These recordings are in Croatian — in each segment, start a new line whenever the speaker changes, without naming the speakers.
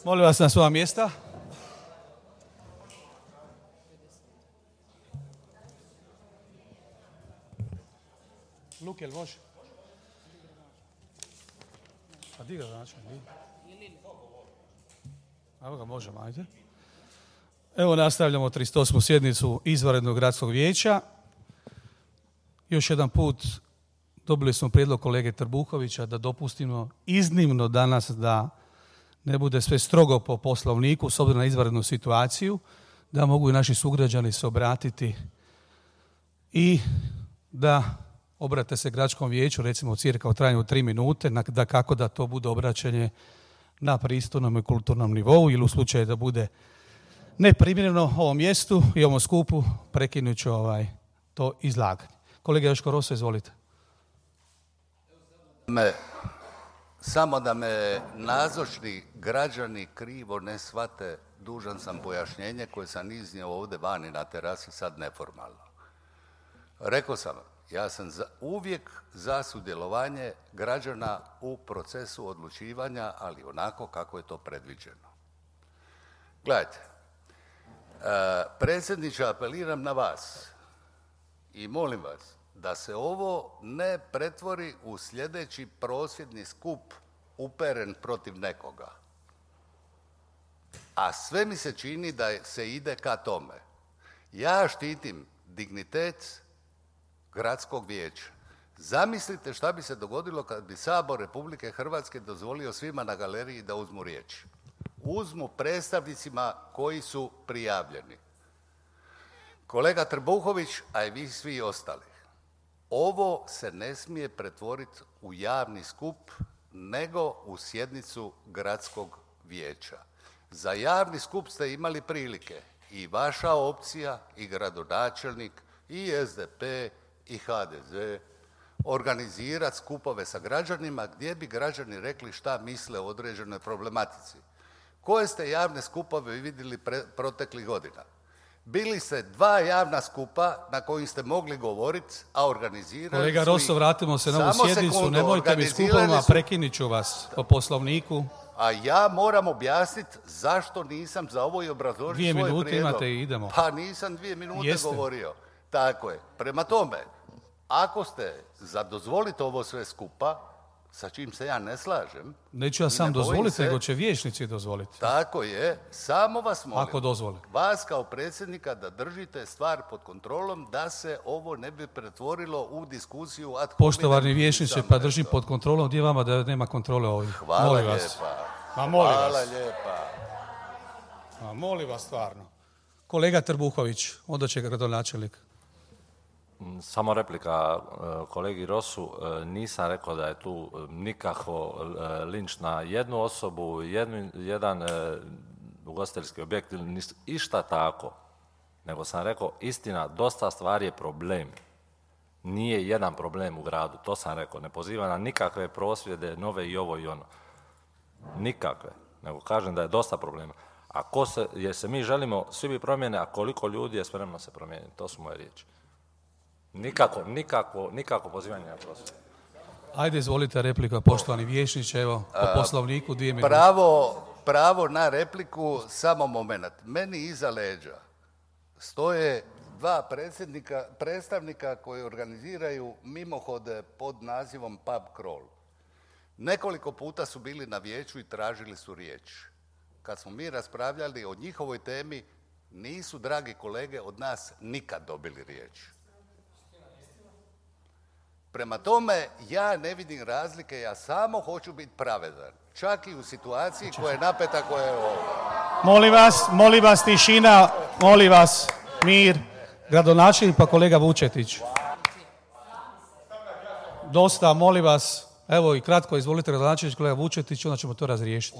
Molim vas na svoja mjesta. Luke, jel može? A di ga znači? Evo ga, možemo, ajde. Evo nastavljamo 38. sjednicu izvanrednog gradskog vijeća. Još jedan put dobili smo prijedlog kolege Trbuhovića da dopustimo iznimno danas da ne bude sve strogo po poslovniku s obzirom na izvanrednu situaciju, da mogu i naši sugrađani se obratiti i da obrate se gradskom vijeću, recimo cirka u trajanju 3 minute, da kako da to bude obraćanje na pristojnom i kulturnom nivou ili u slučaju da bude neprimjereno ovom mjestu i ovom skupu prekinut ću to izlaganje. Kolega Joško Roso, izvolite.
Samo da me nazočni građani krivo ne shvate, dužan sam pojašnjenje koje sam iznio ovdje vani na terasi, sad neformalno. Rekao sam, ja sam uvijek za sudjelovanje građana u procesu odlučivanja, ali onako kako je to predviđeno. Gledajte, predsjedniče, apeliram na vas i molim vas da se ovo ne pretvori u sljedeći prosvjedni skup uperen protiv nekoga. A sve mi se čini da se ide ka tome. Ja štitim dignitet gradskog vijeća. Zamislite šta bi se dogodilo kad bi Sabor Republike Hrvatske dozvolio svima na galeriji da uzmu riječ. Uzmu predstavnicima koji su prijavljeni. Kolega Trbuhović, a i vi svi ostali. Ovo se ne smije pretvoriti u javni skup, nego u sjednicu gradskog vijeća. Za javni skup ste imali prilike i vaša opcija, i gradonačelnik, i SDP, i HDZ, organizirati skupove sa građanima gdje bi građani rekli šta misle o određenoj problematici. Koje ste javne skupove vidjeli proteklih godina? Bili ste 2 javna skupa na kojim ste mogli govoriti, a organizirali
Kolega Rosso, vratimo se na ovu sjednicu, nemojte mi skupovima, prekinit ću vas po poslovniku.
A ja moram objasniti zašto nisam za ovo i obrazložiti svoj prijedlog.
2 minute imate i idemo.
Pa nisam 2 minute
Jeste
govorio. Tako je. Prema tome, ako ste za dozvoliti ovo sve skupa, sa čim se ja ne slažem...
Neću ja sam dozvoliti, nego će vijećnici dozvoliti.
Tako je. Samo vas molim,
ako dozvole,
vas kao predsjednika, da držite stvar pod kontrolom, da se ovo ne bi pretvorilo u diskusiju ad hominem.
Poštovani vijećniče, pa držim pod kontrolom. Gdje vama da nema kontrole ovdje?
Hvala
molim
lijepa.
Vas. Ma molim
Hvala
vas.
lijepa.
Ma molim vas stvarno. Kolega Trbuhović, onda će gradonačelnik.
Samo replika kolegi Rosu. Nisam rekao da je tu nikako linč na jednu osobu, jedan ugostiteljski objekt ili išta tako. Nego sam rekao, istina, dosta stvari je problem. Nije jedan problem u gradu, to sam rekao. Ne poziva na nikakve prosvjede, nove i ovo i ono. Nikakve. Nego kažem da je dosta problema. Jer se mi želimo, svi bi promjene, a koliko ljudi je spremno se promijeniti. To su moje riječi. Nikako pozivanje na prosvjed.
Ajde, izvolite replika, poštovani vijećniče, evo, po poslovniku 2 minute.
Pravo na repliku, samo moment. Meni iza leđa stoje 2 predstavnika koji organiziraju mimohode pod nazivom Pub Crawl. Nekoliko puta su bili na vijeću i tražili su riječ. Kad smo mi raspravljali o njihovoj temi, nisu, dragi kolege, od nas nikad dobili riječ. Prema tome, ja ne vidim razlike, ja samo hoću biti pravedan. Čak i u situaciji koja je napeta, koja je ovo.
Molim vas, tišina, molim vas, mir. Gradonačelnik pa kolega Vučetić. Dosta, molim vas. Evo i kratko, izvolite gradonačelnik, kolega Vučetić, onda ćemo to razriješiti.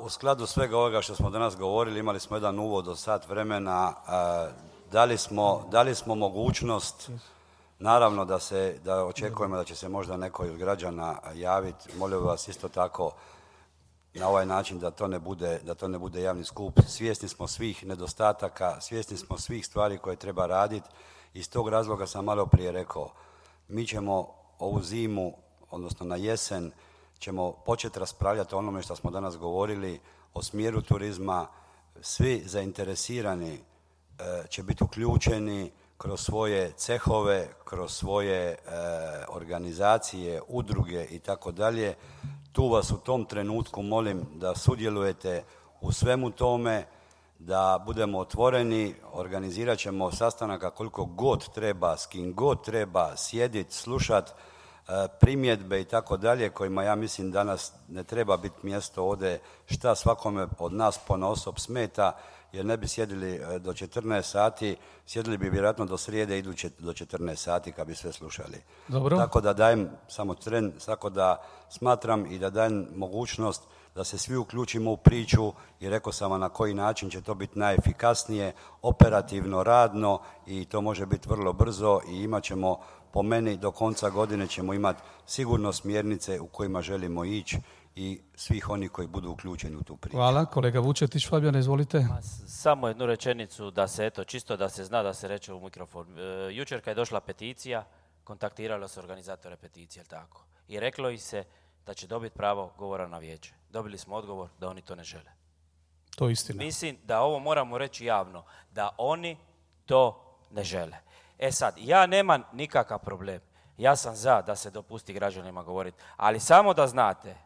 U skladu svega ovoga što smo danas govorili, imali smo jedan uvod od sat vremena, dali smo mogućnost, naravno da očekujemo da će se možda neko od građana javiti. Molim vas isto tako na ovaj način da to ne bude javni skup. Svjesni smo svih nedostataka, svjesni smo svih stvari koje treba raditi. Iz tog razloga sam malo prije rekao, mi ćemo ovu zimu, odnosno na jesen, ćemo početi raspravljati o onome što smo danas govorili, o smjeru turizma. Svi zainteresirani će biti uključeni kroz svoje cehove, kroz svoje organizacije, udruge i tako dalje. Tu vas u tom trenutku molim da sudjelujete u svemu tome, da budemo otvoreni, organizirat ćemo sastanaka koliko god treba, s kim god treba, sjediti, slušati primjedbe i tako dalje, kojima ja mislim danas ne treba biti mjesto ovdje šta svakome od nas ponaosob smeta, jer ne bi sjedili do 14 sati, sjedili bi vjerojatno do srijede, iduće do 14 sati kad bi sve slušali.
Dobro.
Tako da dajem samo tren, tako da smatram i da dajem mogućnost da se svi uključimo u priču i rekao sam vam na koji način će to biti najefikasnije, operativno, radno i to može biti vrlo brzo i imat ćemo, po meni, do konca godine ćemo imati sigurno smjernice u kojima želimo ići i svih onih koji budu uključeni u tu priču.
Hvala. Kolega Vučetić, Fabijan, izvolite.
Samo jednu rečenicu da se, eto, čisto da se zna, da se reče u mikrofon. Jučer kad je došla peticija, kontaktiralo se organizatore peticije, jel tako? I reklo ih se da će dobiti pravo govora na vijeće. Dobili smo odgovor da oni to ne žele.
To je istina.
Mislim da ovo moramo reći javno, da oni to ne žele. E sad, ja nemam nikakav problem. Ja sam za da se dopusti građanima govoriti, ali samo da znate,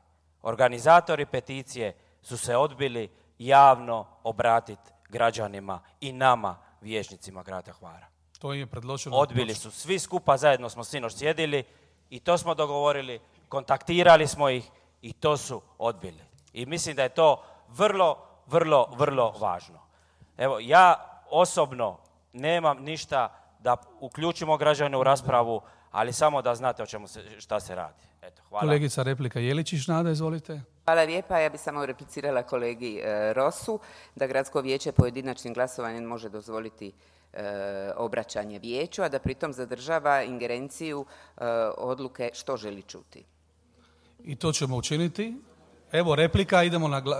organizatori peticije su se odbili javno obratiti građanima i nama, vijećnicima grada Hvara.
To im je predloženo.
Odbili su. Svi skupa zajedno smo sinoć sjedili i to smo dogovorili, kontaktirali smo ih i to su odbili. I mislim da je to vrlo, vrlo, vrlo važno. Evo, ja osobno nemam ništa da uključimo građane u raspravu, ali samo da znate o čemu šta se radi. Eto, hvala.
Kolegica replika Jeličić, Nada, izvolite.
Hvala lijepa. Ja bih samo replicirala kolegi Rosu da gradsko vijeće pojedinačnim glasovanjem može dozvoliti obraćanje vijeću, a da pritom zadržava ingerenciju odluke što želi čuti.
I to ćemo učiniti. Evo replika,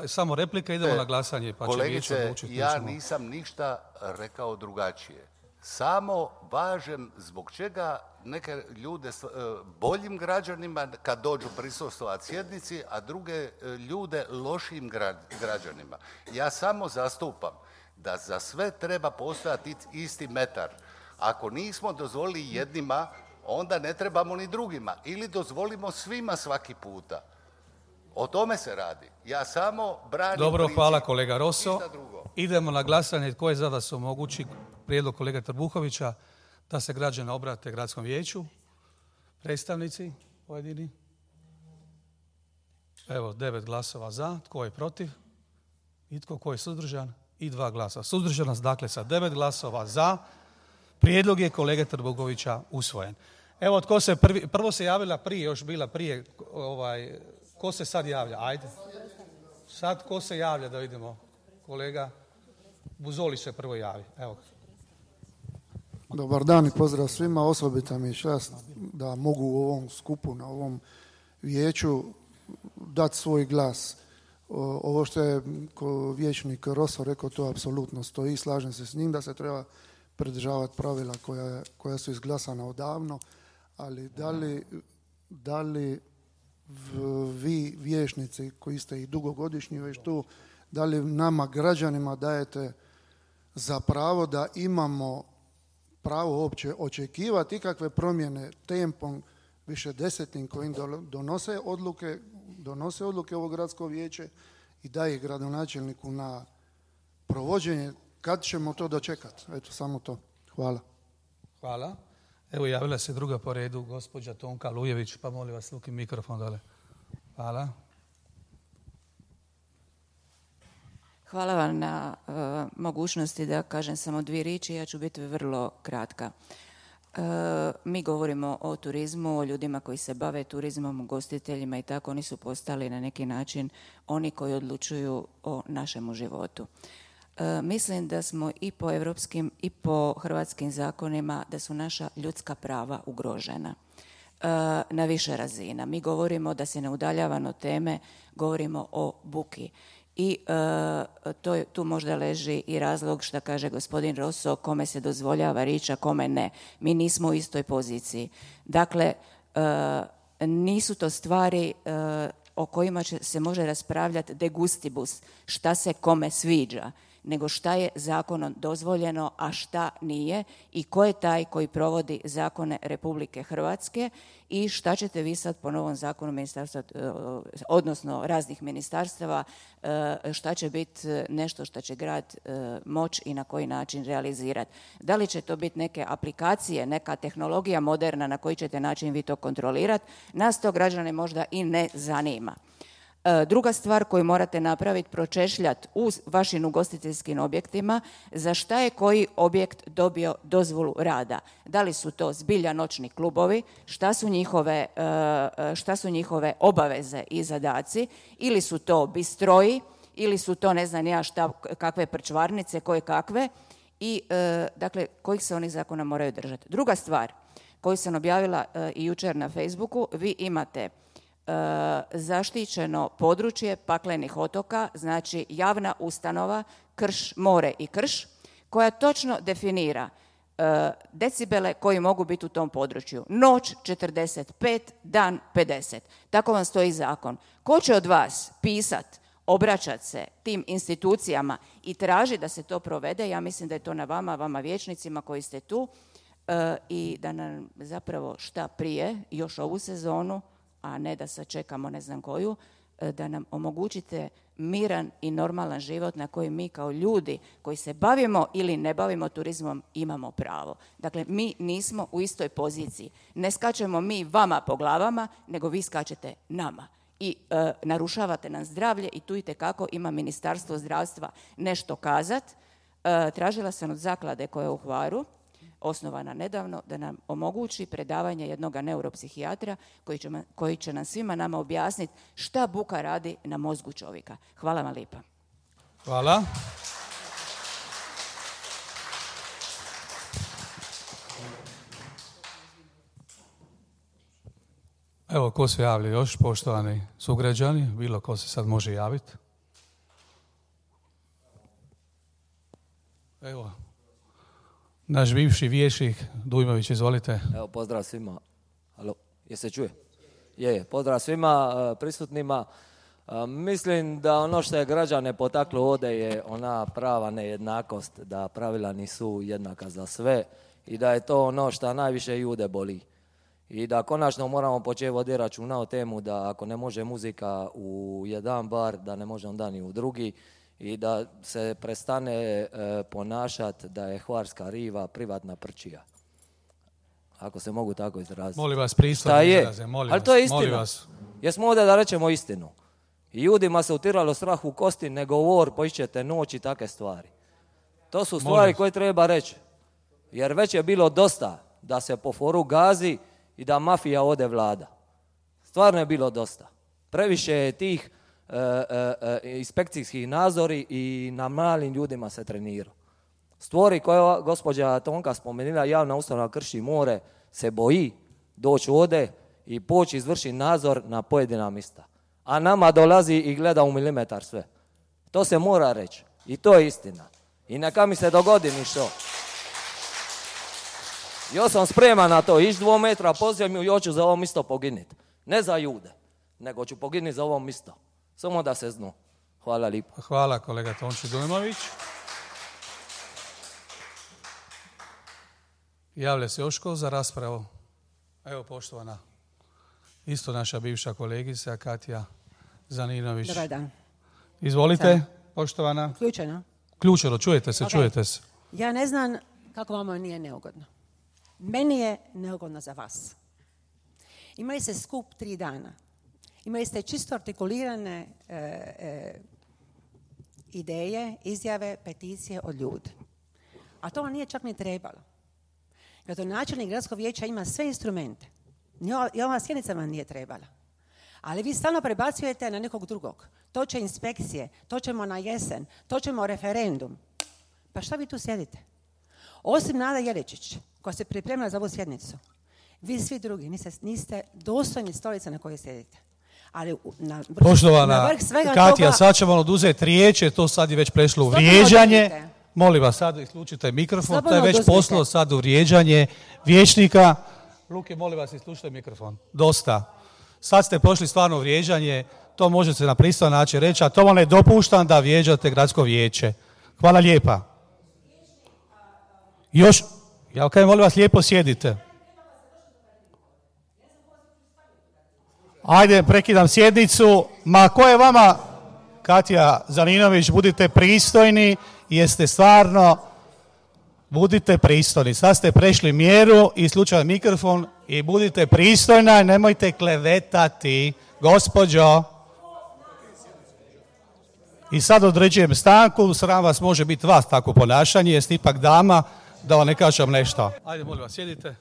samo replika, idemo na glasanje. Pa
kolegice, ja nisam ništa rekao drugačije. Samo važem zbog čega neke ljude boljim građanima kad dođu prisustvovati sjednici, a druge ljude lošim građanima. Ja samo zastupam da za sve treba postojati isti metar. Ako nismo dozvolili jednima, onda ne trebamo ni drugima. Ili dozvolimo svima svaki puta. O tome se radi. Ja samo branim
Dobro,
princip.
hvala kolega Roso. Idemo na glasanje. Tko je za da se omogući prijedlog kolege Trbuhovića da se građani obrate gradskom vijeću? Predstavnici pojedini? Evo, 9 glasova za. Tko je protiv? Itko ko je suzdržan? I 2 glasa suzdržana. Dakle, sa 9 glasova za, prijedlog je kolege Trbuhovića usvojen. Evo, tko se prvo se javila prije, još bila prije, ko se sad javlja? Ajde. Sad ko se javlja da vidimo? Kolega Buzoli se prvo javi. Evo.
Dobar dan i pozdrav svima. Osobita mi je čast da mogu u ovom skupu, na ovom vijeću dati svoj glas. Ovo što je vijećnik Roso rekao, to apsolutno stoji. Slažem se s njim da se treba pridržavati pravila koja su izglasana odavno, ali da li vi vijećnici koji ste i dugogodišnji već tu, da li nama građanima dajete za pravo da imamo pravo uopće očekivati ikakve promjene tempom višedesetnim kojim donose odluke ovo gradsko vijeće i daje gradonačelniku na provođenje. Kad ćemo to dočekati? Eto, samo to. Hvala.
Hvala. Evo, javila se druga po redu, gospođa Tonka Lujević, pa molim vas, luki mikrofon dole. Hvala.
Hvala vam na mogućnosti da kažem samo 2 riječi, ja ću biti vrlo kratka. Mi govorimo o turizmu, o ljudima koji se bave turizmom, ugostiteljima i tako, oni su postali na neki način oni koji odlučuju o našemu životu. Mislim da smo i po europskim i po hrvatskim zakonima da su naša ljudska prava ugrožena na više razina. Mi govorimo da se ne udaljavamo od teme, govorimo o buki. I tu možda leži i razlog što kaže gospodin Roso, kome se dozvoljava riječ, a kome ne. Mi nismo u istoj poziciji. Dakle, nisu to stvari o kojima se može raspravljati de gustibus, šta se kome sviđa, nego šta je zakonom dozvoljeno, a šta nije i ko je taj koji provodi zakone Republike Hrvatske i šta ćete vi sad po novom zakonu ministarstva, odnosno raznih ministarstava, šta će biti nešto što će grad moći i na koji način realizirati. Da li će to biti neke aplikacije, neka tehnologija moderna na koji ćete način vi to kontrolirati, nas to građane možda i ne zanima. Druga stvar koju morate napraviti, pročešljati u vašim ugostiteljskim objektima za šta je koji objekt dobio dozvolu rada. Da li su to zbilja noćni klubovi, šta su njihove obaveze i zadaci, ili su to bistroji, ili su to ne znam ja šta, kakve prčvarnice, koje kakve, i dakle kojih se onih zakona moraju držati. Druga stvar koju sam objavila i jučer na Facebooku, vi imate zaštićeno područje Paklenih otoka, znači javna ustanova Krš, more i Krš, koja točno definira decibele koji mogu biti u tom području. Noć 45, dan 50. Tako vam stoji zakon. Ko će od vas pisat, obraćat se tim institucijama i traži da se to provede, ja mislim da je to na vama vijećnicima koji ste tu, i da nam zapravo šta prije, još ovu sezonu, a ne da sad čekamo ne znam koju, da nam omogućite miran i normalan život na koji mi kao ljudi koji se bavimo ili ne bavimo turizmom imamo pravo. Dakle, mi nismo u istoj poziciji. Ne skačemo mi vama po glavama, nego vi skačete nama. I narušavate nam zdravlje i tu itekako ima Ministarstvo zdravstva nešto kazat. Tražila sam od zaklade koja je u Hvaru, osnovana nedavno, da nam omogući predavanje jednog neuropsihijatra koji će nam svima nama objasniti šta buka radi na mozgu čovjeka. Hvala vam lijepa.
Hvala. Evo, ko se javlja još, poštovani sugrađani, bilo ko se sad može javiti. Evo, naš bivši vijećnik Dujmović, izvolite.
Evo, pozdrav svima. Alo, je se čuje? Je, pozdrav svima prisutnima. Mislim da ono što je građane potaklo ovdje je ona prava nejednakost, da pravila nisu jednaka za sve i da je to ono što najviše ljude boli. I da konačno moramo početi voditi računa o temu da ako ne može muzika u jedan bar, da ne može onda ni u drugi, i da se prestane ponašati da je hvarska riva privatna prčija. Ako se mogu tako izraziti.
Molim vas, pristojno izraze, molim vas.
Ali to je istina. Jesmo ovdje da rečemo istinu. I ljudima se utiralo strah u kosti, ne govor, poišćete noć i takve stvari. To su stvari koje treba reći. Jer već je bilo dosta da se po foru gazi i da mafija ode vlada. Stvarno je bilo dosta. Previše je tih inspekcijskih nadzori i na malim ljudima se trenira. Stvari koje gospođa Tonka spomenula, javna ustanova Krš i more, se boji doći ovdje i poći izvršiti nadzor na pojedina mjesta. A nama dolazi i gleda u milimetar sve. To se mora reći. I to je istina. I neka mi se dogodi ništo. Ja sam spreman na to. Ići 2 metra po zemlju i hoću za ovo mjesto poginiti. Ne za ljude, nego ću poginiti za ovo mjesto. Samo da se znu. Hvala lijepo.
Hvala kolega Tonči Dujmović. Javlja se još ko za raspravu? Evo, poštovana, isto naša bivša kolegica Katja Zaninović.
Dobar dan.
Izvolite, poštovana.
Ključeno?
Ključeno, čujete se, okay. Čujete se.
Ja ne znam kako vama nije neugodno. Meni je neugodno za vas. Imali ste skup 3 dana. Imali ste čisto artikulirane ideje, izjave, peticije od ljudi. A to vam nije čak ni trebalo. Gradonačelnik gradskog vijeća ima sve instrumente. I ova sjednica vam nije trebala. Ali vi stalno prebacujete na nekog drugog. To će inspekcije, to ćemo na jesen, to ćemo referendum. Pa šta vi tu sjedite? Osim Nada Jeličić, koja se pripremila za ovu sjednicu, vi svi drugi niste dostojni stolice na kojoj sjedite. Ali
poštovana Katja, sad ćemo vam oduzeti riječ, to sad je već prešlo u vrijeđanje. Molim vas, sad isključite mikrofon, to je već poslao sad u vrijeđanje vijećnika. Luke, molim vas, isključite mikrofon. Dosta. Sad ste pošli stvarno u vrijeđanje, to možete na pristojan način reći, a to vam ne dopuštam da vrijeđate gradsko vijeće. Hvala lijepa. Još, ja kažem, molim vas, lijepo sjedite. Ajde, prekidam sjednicu. Ma ko je vama, Katja Zaninović, budite pristojni, jeste stvarno, budite pristojni. Sad ste prešli mjeru i slučaj mikrofon i budite pristojna i nemojte klevetati, gospođo. I sad određujem stanku, sram vas može biti vas tako ponašanje, jeste ipak dama, da vam ne kažem nešto. Ajde, molim vas, sjedite.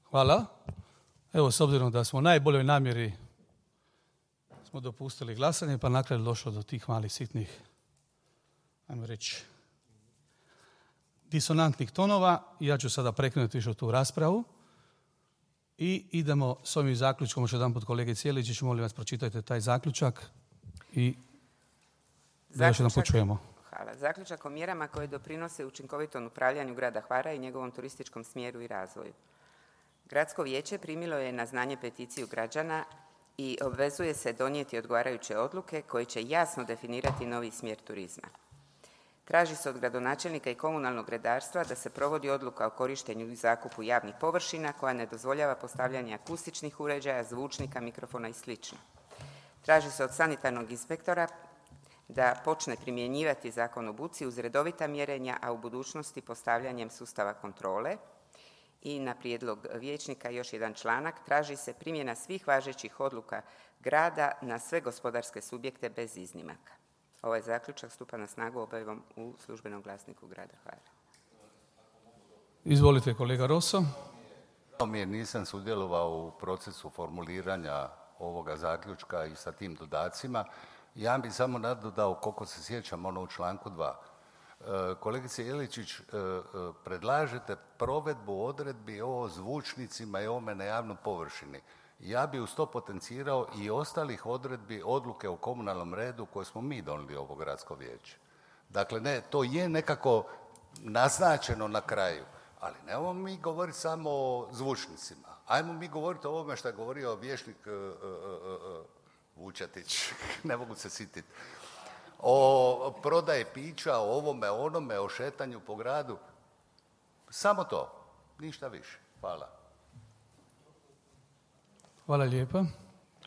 Hvala. Evo, s obzirom da smo u najboljoj namjeri smo dopustili glasanje, pa na kraju došlo do tih malih sitnih, ajmo reći, disonantnih tonova. Ja ću sada prekinuti više tu raspravu i idemo s ovim zaključkom. Još jedan put kolege Cijeličić, molim vas, pročitajte taj zaključak i da još jedan put čujemo.
Hvala. Zaključak o mjerama koje doprinose učinkovitom upravljanju grada Hvara i njegovom turističkom smjeru i razvoju. Gradsko vijeće primilo je na znanje peticiju građana i obvezuje se donijeti odgovarajuće odluke koje će jasno definirati novi smjer turizma. Traži se od gradonačelnika i komunalnog redarstva da se provodi odluka o korištenju i zakupu javnih površina koja ne dozvoljava postavljanje akustičnih uređaja, zvučnika, mikrofona i sl. Traži se od sanitarnog inspektora da počne primjenjivati zakon o buci uz redovita mjerenja, a u budućnosti postavljanjem sustava kontrole. I na prijedlog vijećnika još jedan članak, traži se primjena svih važećih odluka grada na sve gospodarske subjekte bez iznimaka. Ovaj zaključak stupa na snagu objavom u službenom glasniku grada Hvara.
Izvolite, kolega Rosso.
Nisam sudjelovao u procesu formuliranja ovoga zaključka i sa tim dodacima. Ja bih samo nadodao, koliko se sjećam, ono u članku 2. Kolegice Jeličić, predlažete provedbu odredbi o zvučnicima i ovome na javnoj površini. Ja bi uz to potencirao i ostalih odredbi odluke o komunalnom redu koje smo mi donijeli ovo gradsko vijeće. Dakle, ne, to je nekako naznačeno na kraju, ali nemamo mi govoriti samo o zvučnicima. Ajmo mi govoriti o ovome što je govorio vijećnik Vučetić, ne mogu se sititi. O prodaje pića, o ovome, onome, o šetanju po gradu. Samo to, ništa više. Hvala.
Hvala lijepa.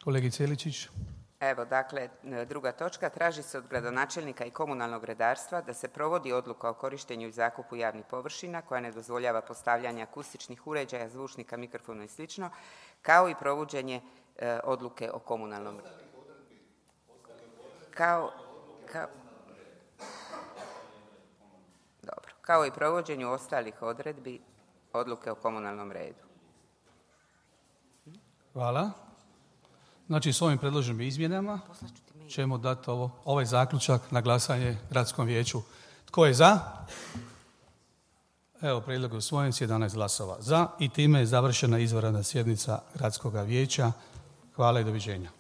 Kolegi Celičić.
Evo, dakle, druga točka. Traži se od gradonačelnika i komunalnog redarstva da se provodi odluka o korištenju i zakupu javnih površina koja ne dozvoljava postavljanje akustičnih uređaja, zvučnika, mikrofona i sl. Kao i provođenje odluke o komunalnom redu. Kao i provođenju ostalih odredbi odluke o komunalnom redu.
Hvala. Znači, s ovim predloženim izmjenama ćemo dati ovaj zaključak na glasanje gradskom vijeću. Tko je za? Evo, prijedlog je usvojen s 11 glasova za i time je završena izvanredna sjednica gradskog vijeća. Hvala i doviđenja.